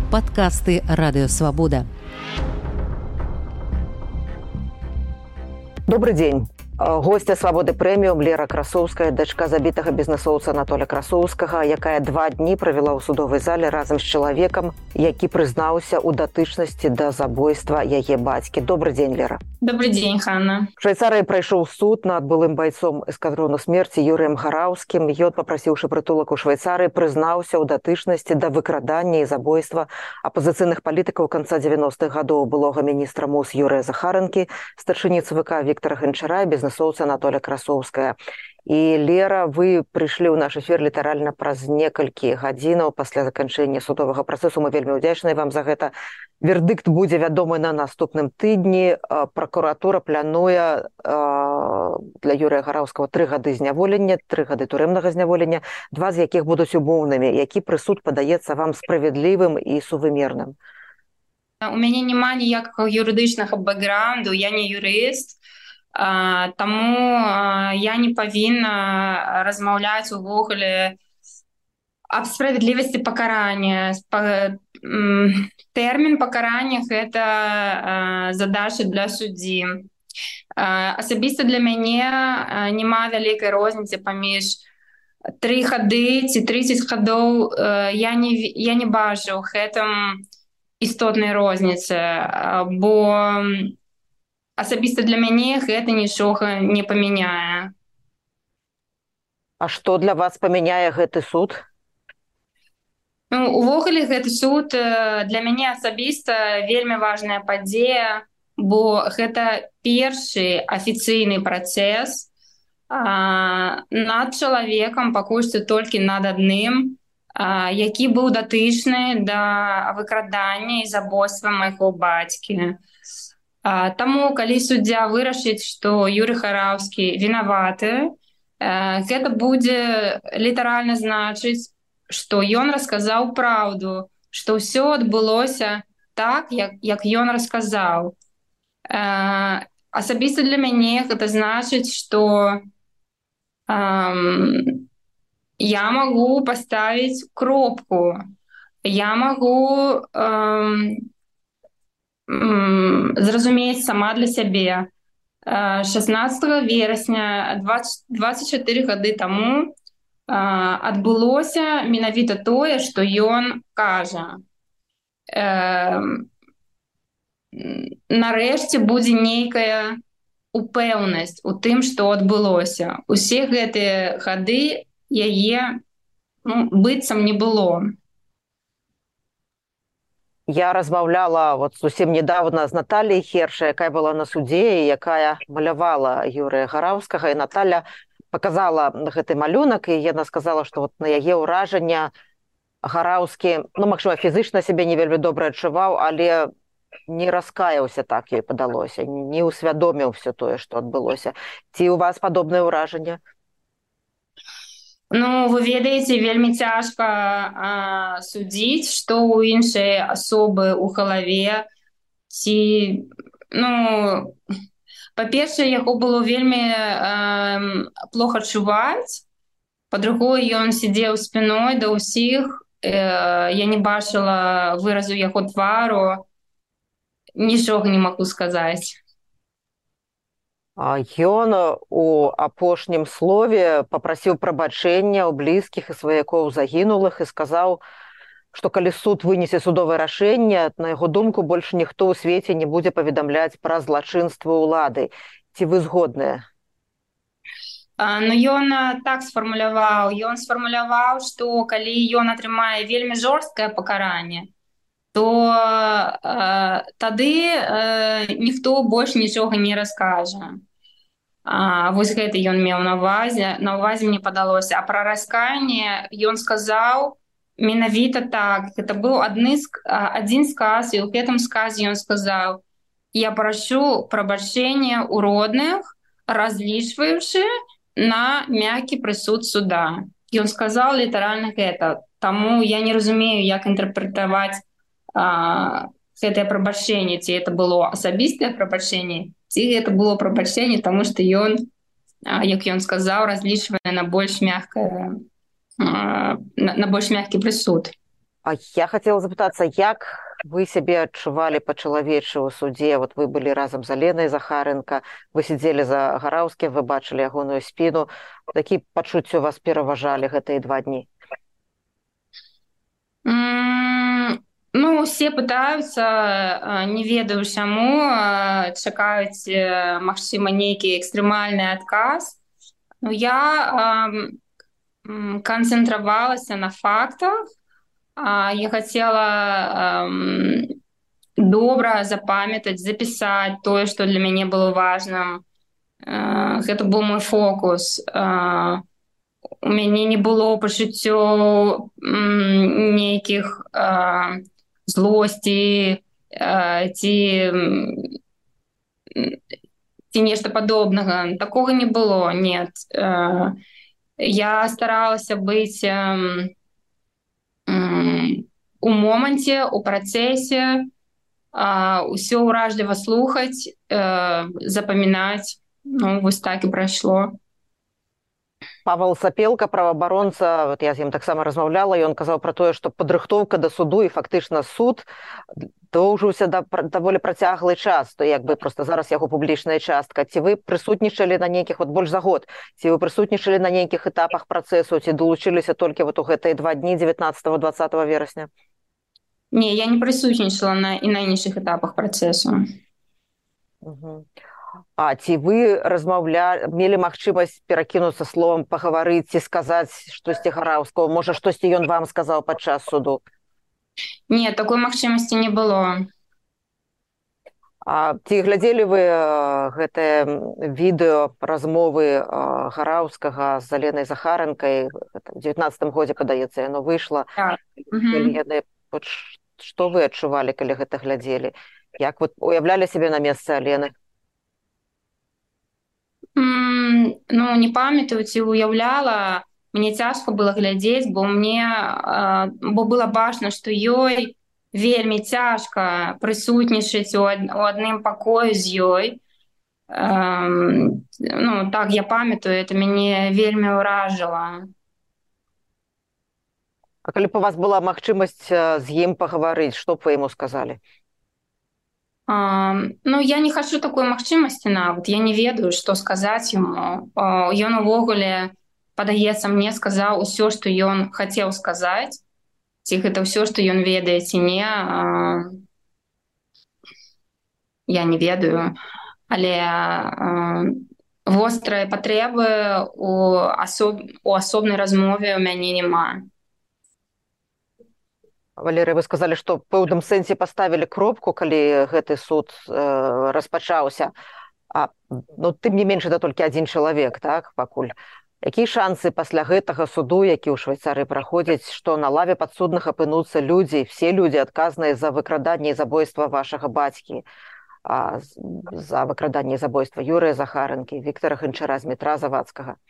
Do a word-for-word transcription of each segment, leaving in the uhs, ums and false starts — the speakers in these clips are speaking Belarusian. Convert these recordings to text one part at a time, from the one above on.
Падкасты Радыёвабода. Добрый день. Гостья «Свабоды прэміум» Лера Красоўская, дачка забітага бізнэсоўца Анатоля Красоўскага, якая два дні правяла ў судовай зале разам з чалавекам, які прызнаўся ў датычнасці да забойства яе бацькі. Добрый дзень, Лера. Добрый дзень, Ханна. Швейцарыі прайшоў суд над былым байцом эскадрону смерці Юрыем Гараўскім. Ён, папрасіўшы прытулак у Швейцарыі, прызнаўся ў датычнасці да выкрадання і забойства апазіцыйных палітыкаў канца дзевяностых гадоў былога міністра МОЗ Юрыя Захаранкі, старшыні ЦВК Віктара Гончара і бізнэсоўца Анатоля Красоўская. І, Лера, вы прыйшлі ў наш эфір літаральна праз некалькі гадзінаў пасля заканчэння судовага працэсу. Мы вельмі ўдзячныя вам за гэта. Вердыкт будзе вядомы на наступным тыдні. Пракуратура плануе для Юрыя Гараўскага тры гады зняволення, тры гады турэмнага зняволення, два з якіх будуць умоўнымі. Які прысуд падаецца вам справядлівым і сувымерным? У мяне няма ніякага юрыдычнага бэкграунду, я не юрыст. Таму я не павінна размаўляць увогуле аб справядлівасці пакарання. Тэрмін пакарання – гэта задача для суддзі. Асабіста для мяне няма вялікай розніцы паміж тры гады ці трыццаць гадоў. Я не, я не бачу гэтым істотнай розніцы, бо асабіста для мяне гэта нічога не памяняе. А што для вас памяняе гэты суд? Ну, увогуле гэты суд для мяне асабіста вельмі важная падзея, бо гэта першы афіцыйны працэс а, над чалавекам, пакуль што толькі над адным, а, які быў датычны да выкрадання і забойства майго бацькі. Таму, калі суддзя вырашыць, што Юрый Гараўскі вінаваты, гэта будзе літаральна значыць, што ён расказаў праўду, што ўсё адбылося так, як, як ён расказаў. Асабіста для мяне гэта значыць, што эм, я магу паставіць кропку, я магу эм, зразумець сама для сябе. шаснаццатага верасня дваццаць чатыры гады таму адбылося менавіта тое, што ён кажа. Нарэшце будзе нейкая упэўнасць у тым, што адбылося. Усе гэтыя гады яе ну, быццам не было. Я размаўляла вот зусім недавно з Натальей Хершай, якая была на судзе і якая малявала Юрыя Гараўскага. І Наталя показала гэты малюнак, і яна сказала, што вот на яе ўражання Гараўскі, ну, магчыма, фізычна сябе не вельмі добра адчуваў, але не раскаяўся, так ёй падалося, не ўсвядоміў все тое, што адбылося. Ці у вас падобнае ўражанне? Ну, вы ведаеце, вельмі цяжка а, судзіць, што ў іншай асобы ў галаве. Ці, ну, па-першае, яго было вельмі а, плохо чуваць. Па-другое, ён сидзеў спіной да ўсіх. Э, я не бачыла выразу яго твару. Нічога не магу сказаць. Ён у апошнім слове папрасіў прабачэння ў блізкіх і сваякоў загінулых і сказаў, што калі суд вынесе судовае рашэнне, на яго думку, больш ніхто ў свеце не будзе паведамляць пра злачынства ўлады. Ці вы згодныя? Ну, ён так сфармуляваў. Ён сфармуляваў, што калі ён атрымае вельмі жорсткае пакаранне, то э, тады э, ніхто больш нічога не раскажа. А, вось гэта ён меў на ўвазе, на ўвазе мне падалося. А пра раскаянне ён сказаў менавіта так. Гэта быў адны, адзін сказ, і ў гэтым сказе ён сказаў: «Я прашу прабачэння ў родных, разлічваючы на мяккі прысуд суда». Ён сказаў літаральна гэта. Таму я не разумею, як інтэрпрэтаваць а, гэтае прабачэнне. Ці гэта было асабістае прабачэнне, ці гэта было прабачэнне, таму што ён, як ён сказаў, разлічвае на больш мяккае, на больш мяккі прысуд. А я хотела запытацца, як вы сябе адчувалі па-чалавечы ў судзе? Вот вы былі разам з Аленай Захаренко, вы сидзелі за Гараўскім, вы бачылі ягоную спіну. Такі пачуцці у вас пераважалі гэтыя два дні? М, Ну, все пытаются, не ведаю чаму, чакаюць, магчыма, нейкі экстрэмальны адказ. Но я ам, канцэнтравалася на фактах. А, Я хотела ам, добра запамятаць, запісаць тое, што для мяне было важным. Э, Гэта быў мой фокус. А, У мяне не было пачуццёў м, нейкіх а, злосці а, ці м, ці нешта падобнага. Такога не было, нет. Э, Я старалася быць ем, м, у моманце, у працэсе, а, усё ўражліва слухаць, э, запамінаць. Ну, вось так і прайшло. Павел Сапелка, праваабаронца, вот я з ім таксама размаўляла, ён казаў пра тое, што падрыхтоўка да суду і фактычна суд доўжыўся да даволі працяглы час, то як бы проста зараз яго публічная частка. Ці вы прысутнічалі на нейкіх, вот больш за год, ці вы прысутнічалі на нейкіх этапах працэсу, ці долучыліся толькі вот у гэтыя два дні дзевятнаццатага дваццатага верасня? Не, я не прысутнічала на і на іншых этапах працэсу. Угу. А ці вы размаўлялі, мелі магчымасць перакінуцца словам, пагаварыць ці сказаць штосьці Гараўскаму? Можа, штосьці ён вам сказаў падчас суду? Не, такой магчымасці не было. А ці глядзелі вы гэтае відэо размовы Гараўскага з Аленай Захаренкай? У дзевятнаццатым годзе, падаецца, яно выйшла. Так. Угу. Вот што вы адчувалі, калі гэта глядзелі? Як вы уяўлялі сябе на месцы Алены? М, Ну, не памятаю, ці уяўляла. Мне цяжка было глядзець, бо мне а, бо было бачна, што ёй вельмі цяжка прысутнічаць у ад- у адным пакоі з ёй. Ам, Ну, так, я памятаю, это мяне вельмі ўражыла. А калі б у вас была магчымасць з ім пагаварыць, што б вы яму сказалі? Ам, Ну, я не хачу такой магчымасці нават. Я не ведаю, што сказаць яму. А, Ён увогуле, падаецца, мне сказаў усё, што ён хацеў сказаць. Ці гэта ўсё, што ён ведае, ці не, а, я не ведаю. Але а, вострай патрэбы у асоб... у асобнай размове ў мяне няма. Валерый, вы сказалі, што ў пэўным сэнсе паставілі кропку, калі гэты суд э, распачаўся. А, ну, тым не менш, это толькі адзін чалавек, так, пакуль. Якія шансы пасля гэтага суду, які ў Швейцарыі праходзіць, што на лаве падсудных апынуцца людзі, все людзі адказныя за выкраданне і забойства вашага бацькі, а, за выкраданне і забойства Юрыя Захаренкі, Віктара Гончара, Змітра Завадскага?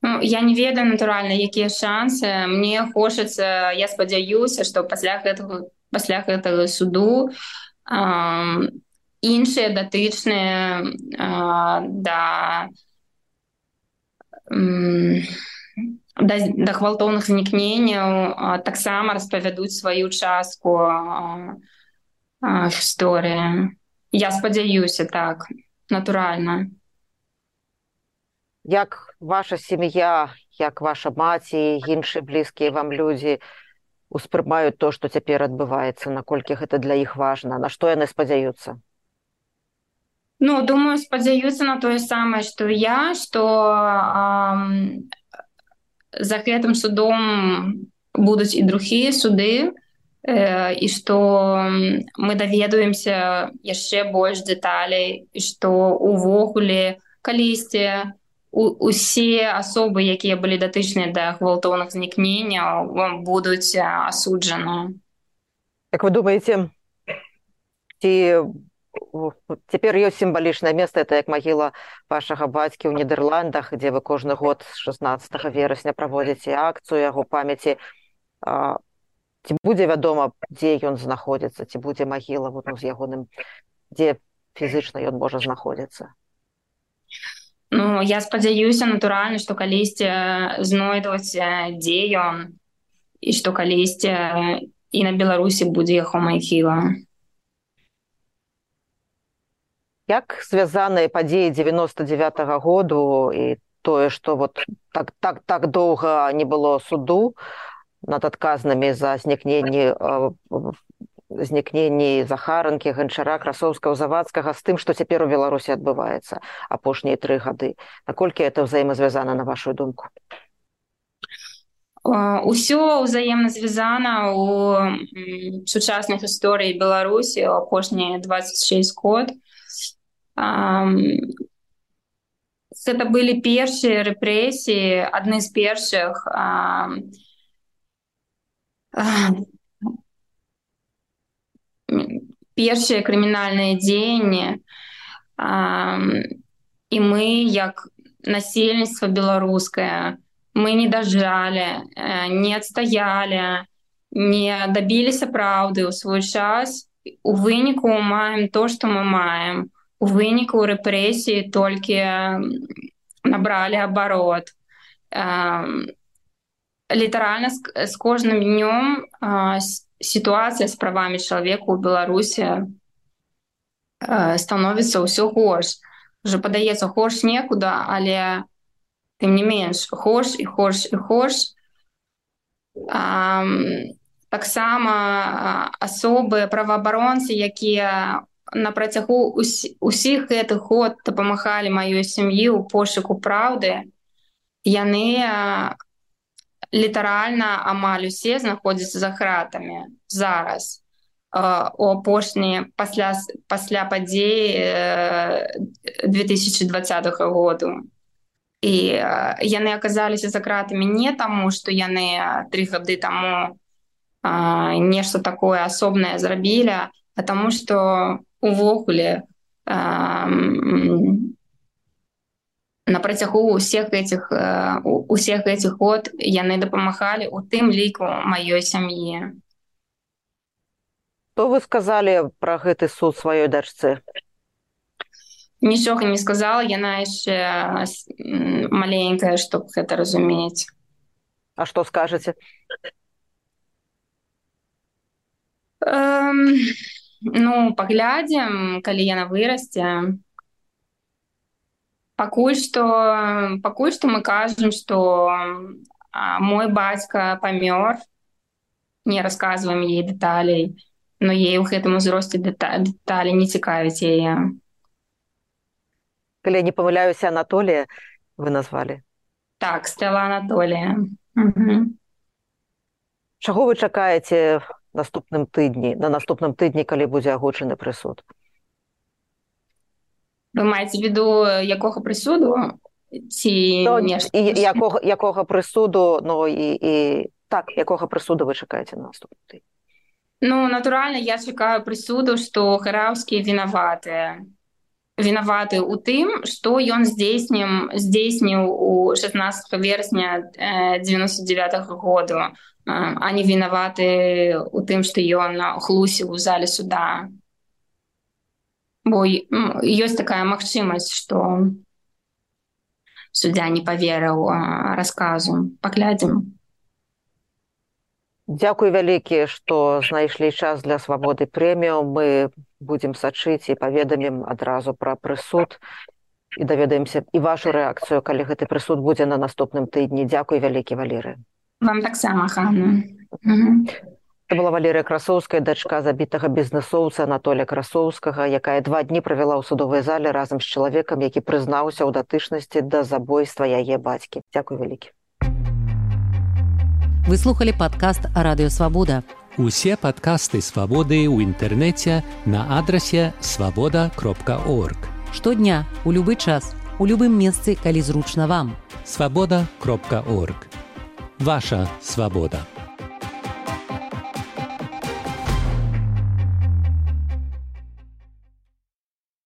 Ну, я не ведаю, натуральна, якія шансы. Мне хочацца, я спадзяюся, што пасля гэтага, пасля гэтага суду ам, іншыя датычныя а, да, м, да, да гвалтоўных знікненняў а, таксама распавядуць сваю частку а, а, гісторыі. Я спадзяюся, так, натуральна. Як ваша сям'я, як ваша маці, іншыя блізкія вам людзі успрымаюць то, што цяпер адбываецца, наколькі гэта для іх важна, на што яны спадзяюцца? Ну, думаю, спадзяюцца на тое самае, што і я, што ам, за гэтым судом будуць і другія суды, э, і што мы даведаемся яшчэ больш дэталей, і што увогуле калісьці у- усе асобы, якія былі датычныя да гвалтоўных знікненняў, будуць а, асуджаны. Як вы думаеце, ці цяпер ёсць сімвалічнае месца, это як магіла вашага бацькі ў Нідерландах, дзе вы кожны год шаснаццатага верасня праводзіце акцыю яго памяці. А, ці будзе вядома, дзе ён знаходзіцца, ці будзе магіла вот, ну, з ягоным, дзе фізычна ён можа знаходзіцца? Ну, я спадзяюся, натуральна, што калісьці знойдуць, э, дзе ён. і што калісьці і на Беларусі будзе яго магіла. Як звязаныя падзеі дзевяноста дзевятага году і тое, што вот так, так, так доўга не было суду над адказнымі за знікненні, знікненні Захаранкі, Ганчара, Красоўскага, Завадскага з тым, што цяпер у Беларусі адбываецца апошнія тры гады. Наколькі это ўзаемазвязана, на вашу думку? Усё ўзаемна звязана ў сучаснай гісторыі Беларусі ў апошнія дваццаць шэсць год. Гэта былі першыя рэпрэсіі, адны з першых першыя крымінальныя дзеянні, і мы, як насельніцтва беларускае, мы не дажалі, не адстаялі, не дабіліся праўды ў свой час. У выніку маем то, што мы маем. У выніку рэпрэсіі толькі набралі абарот. Літаральна з кожным днём сітуацыя з правамі чалавека ў Беларусі становіцца ўсё горш. Уже падаецца горш некуда, але тым не менш горш і горш і горш. Таксама асобы праваабаронцы, якія на працягу усіх гэтых год дапамагалі маёй сям'і ў пошуку праўды, яны літаральна амаль усе знаходзяцца за кратамі зараз, у апошнія пасля, пасля падзей две тысячы дваццатага году. І яны аказаліся за кратамі не таму, што яны тры гады таму нешта такое асобнае зрабілі, а таму, што увогуле на працягу усіх гэтых, усіх гэтых год яны дапамагалі, у тым ліку маёй сям'і. Што вы сказалі пра гэты суд сваёй дачцы? Нічога не сказала, яна яшчэ маленькая, щоб гэта разумець. А што скажаце? Эм... Ну, паглядзім, калі яна вырасце. Пакуль што, пакуль што мы кажам, што мой бацька памёр, не расказваем ей дэталей, но ей у гэтым узросце дэталі не цікавіць яе. Калі не памыляюся, Анатолія вы назвалі? Так, Стэла Анатолія. Угу. Чаго вы чакаеце наступным тыдні, на наступным тыдні, калі будзе агучаны прысуд? Вы маеце в виду якога прысуду? Ці no, нешта? Якога, якога прысуду, ну і, і так, якога прысуду вы чакаеце на наступным тыдні? Ну, натуральна, я чакаю прысуду, што Гараўскі вінаваты. Вінаваты ў тым, што ён здзейсніў, здзейсніў у шаснаццатага верасня дзевяноста дзевятага году, а не вінаваты ў тым, што ён хлусіў у зале суда. Бо ёсць такая магчымасць, што суддзя не паверыў расказу. Паглядзім. Дзякуй вялікі, што знайшлі час для Свабоды прэмію. Мы будзем сачыць і паведамім адразу пра прысуд і даведаемся і вашу рэакцыю, калі гэты прысуд будзе на наступным тыдні. Дзякуй вялікі, Валерыя. Вам таксама, Ханна. Це была Валерія Красоўская, дачка забітага бізнесоўца Анатолія Красоўскага, якая два дні правяла ў судовай зале разам з чалавекам, які прызнаўся ў датычнасці да забойства яе бацькі. Дзякуй вялікі. Вы слухали падкаст «Радыё Свабода». Усе падкасты «Свабоды» ў інтэрнэце на адрасе свабода кропка орг. Штодня, у любы час, у любым месцы, калі зручна вам. свабода кропка орг. Ваша свабода.